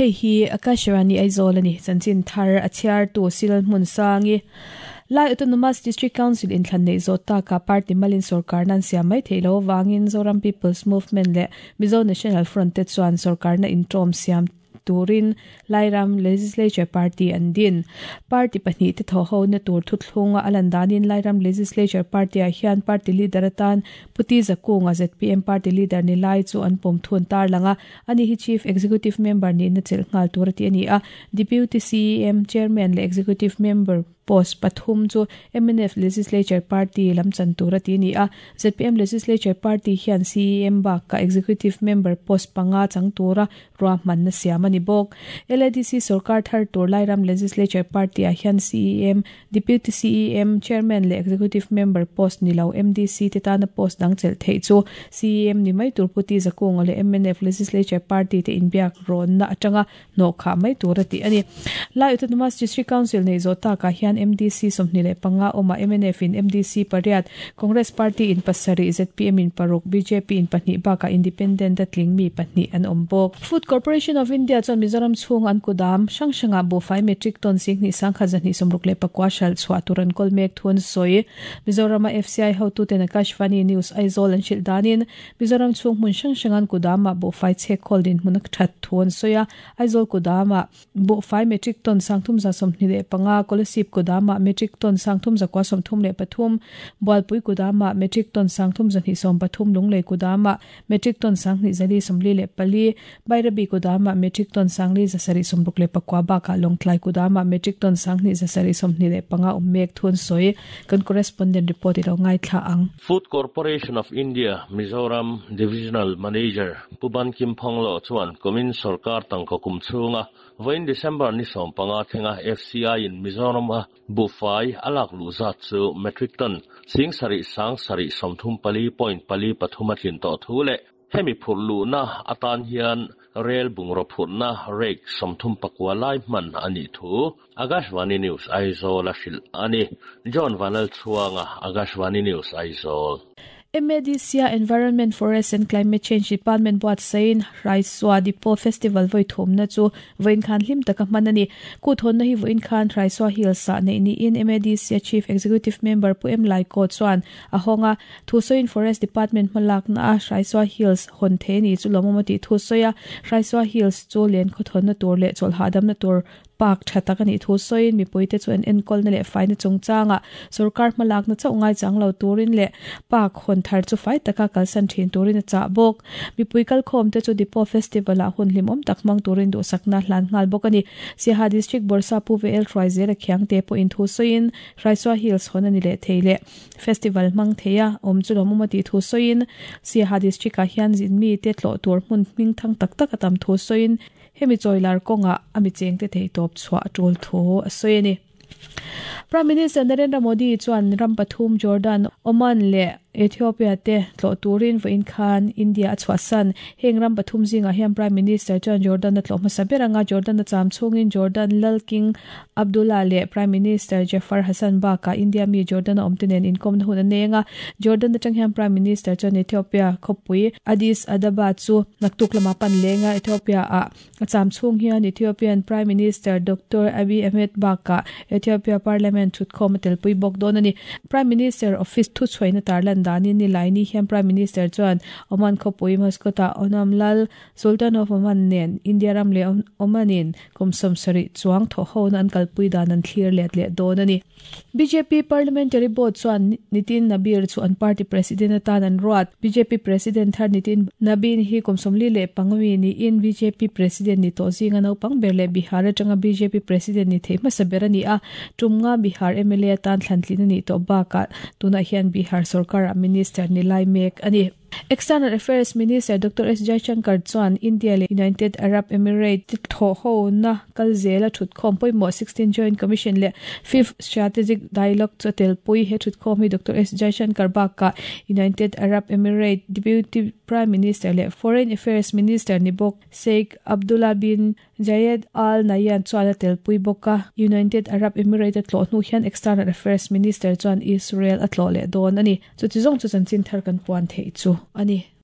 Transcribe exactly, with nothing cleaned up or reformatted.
Hei hi Akashvani Aizawl ani chanchin thar a chhiar tu sil hmun sangi Lai Autonomous District Council in thlan nei zo ta ka party malin sarkar nan siam mai theilo wangin Zoram People's Movement le Mizo National Front te chuan sarkar na introm siam turin Lairam Legislature Party an din party pahnih te tho ho na tur thuthlunga alandanin Lairam Legislature Party a hian party leader atan Puti Zakunga Z P M party leader ni lai chu an pom thun tar langa ani hi chief executive member ni na chel ngal tur ti ani a deputy C E M chairman le executive member post pathum chu M N F Legislature Party lamchan tura ti ni a Z P M Legislature Party hian C E M ba ka executive member post panga chang tura ro man na siam ani bok L A D C sarkar thar tur Lairam Legislature Party a hian C E M deputy C E M chairman le executive member post ni lo M D C te tana post dang chel thei chu C E M ni mai tur Puti Zakunga le M N F Legislature Party te inbiak ron na atanga no kha mai tura ti ani Lai Autonomous District Council nei zo ta ka hian M D C somni le panga oma M N F in M D C pariat Congress Party in pasari Z P M in paruk B J P in pahnih baka independent atling mi pahnih an ombok Food Corporation of India chuan Mizoram chung an kudam sangsanga bo five metric ton sing ni sangkha jani somruk le pakwa shal chwa turan kolmek thun soi Mizoram F C I hotu ten Akashvani News Aizawl an shil danin Mizoram chung mun sangsangan kudama bo five che kholdin munak that thun soya Aizawl kudama bo five metric ton sangthum za somni le panga kolasip kudama metric ton sangthum zakwa somthum le pathum Bualpui kudama metric ton sangthum zani som pathum lunglei kudama metric ton sangni zali somli le pali Bairabi kudama metric ton sangli zasari somruk le pakwa ba ka longtlai kudama metric ton sangni zasari somni le panga ummek thun soi kan correspondent report ilo ngai thla ang Food Corporation of India Mizoram Divisional Manager Puban Kim Phonglo chuan komin sarkar tangka kum chunga voin December ni som panga thenga F C I in Mizoram a bufai alak lu za chu metric ton sing sari sang sari somthum pali point pali pathuma thin to thule hemi phurlu na atan hian rail bungro phurna rek somthum pakwa lai man ani thu Akashvani News Aizawl a hril ani John Vanal Chuanga Akashvani News Aizawl M A D C Environment, Forest and Climate Change Department buat sein Raiswa Dipo Festival voi thum na chu voin khan hlim taka manani ku thon na hi voin khan Raiswa Hills sa nei ni in M A D C Chief Executive Member Pu M Lai ko chuan ahonga thusoin Forest Department malak na Raiswa Hills hon the ni chu lomomati thusoya Raiswa Hills chu len kho thon na tur le chol hadam na tur park thatak ani thu soin mi poite chuan enkol na le faina chungchanga sarkar malak na chawngai changlo turin le park hon thar chu fai taka kalsan thin turin a cha bok mi puikal khom te chu Dipo Festival a hun hlimom takmang turin du sakna hlan ngal bok ani Siaha District Borsa pu vel Troizer khiang te po in thu soin Raiswa Hills hon ani le theile festival mang theya om chu lomomati thu soin Siaha District a hian jin mi te tlo tur mun ming thang tak tak atam thu soin hemi choilar konga ami chengte thei top chwa tul tho soini Prime Minister Narendra Modi chuan ram pathum Jordan Oman le Ethiopia te tlo turin voin khan India achwa san heng ram pathum zinga hian Prime Minister chuan Jordan na tlo hmasa beranga Jordan na cham chungin Jordan Lal King Abdullah le Prime Minister Jafar Hassan ba ka India mi Jordan omtenen inkom na hun anenga Jordan na chang hian Prime Minister chuan Ethiopia khopui Addis Ababa chu naktuk lama pan lenga Ethiopia a acham chung hian Ethiopian Prime Minister Doctor Abiy Ahmed ba ka Ethiopia Parliament thut khom tel pui bok don ani Prime Minister office thu chhoina tarlan dani ni laini hian Prime Minister chuan Oman khopui Muscat Onam Lal Sultan of Oman nen India ram le Omanin kumsom sari chuang tho ho nan kalpui dan an thlir let le don ani B J P Parliamentary Board chuan Nitin Nabir chu an party president atan an ruat B J P president thar Nitin Nabin hi kumsomli le pangwi ni in B J P president ni to zinga no pang berle Bihar atanga B J P president ni theima saberani a tumnga Bihar M L A tan thlantlin ni to ba ka tuna hian Bihar sarkar minister ni lai mek ani External Affairs Minister Doctor S Jaishankar chuan India le United Arab Emirates tho ho na kalzela thut khom poimo sixteen Joint Commission le fifth Strategic Dialogue chu telpui he thut khom hi Doctor S Jaishankar ba ka United Arab Emirates Deputy Prime Minister le Foreign Affairs Minister ni bok Sheikh Abdullah bin Zayed Al Nahyan chuan telpui boka United Arab Emirates tlo hnu hian External Affairs Minister chuan Israel atlo le don ani chu chi zong chu chanchin thar kan puan thei chu ani.